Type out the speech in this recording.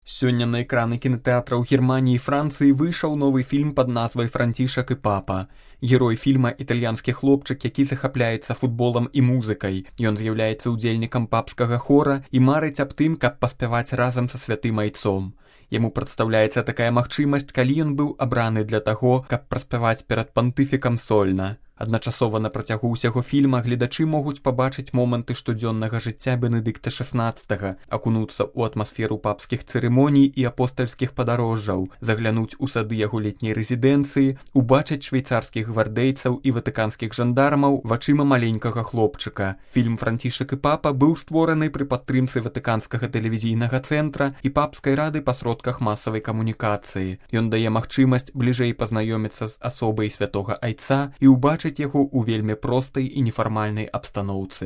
Сёння на экраны кінатэатраў Германіі і Францыі выйшаў новы фільм пад назвай «Францішак і папа». Герой фільма – італьянскі хлопчык, які захапляецца футболам і музыкай. Ён з'яўляецца ўдзельнікам папскага хора і марыць аб тым, каб паспяваць разам са святым айцом. Яму прадстаўляецца такая магчымасць, калі ён быў абраны для таго, каб праспяваць перад пантыфікам сольна. Адначасова на працягу ўсяго фільма гледачы могуць пабачыць моманты штодзённага жыцця Бенедыкта XVI, акунуцца ў атмасферу папскіх цырымоній і апостальскіх падарожжаў, заглянуць у сады яго летняй рэзідэнцыі, убачыць швейцарскіх гвардейцаў і ватыканскіх жандармаў вачыма маленькага хлопчыка. Фільм «Францішак і папа» быў створаны пры падтрымцы Ватыканскага тэлевізійнага цэнтра і папскай рады па сродках масавай камунікацыі. Ён дае магчымасць бліжэй пазнаёміцца з асобай святога айца і ўбачыць яго ў вельмі простай і нефармальнай абстаноўцы.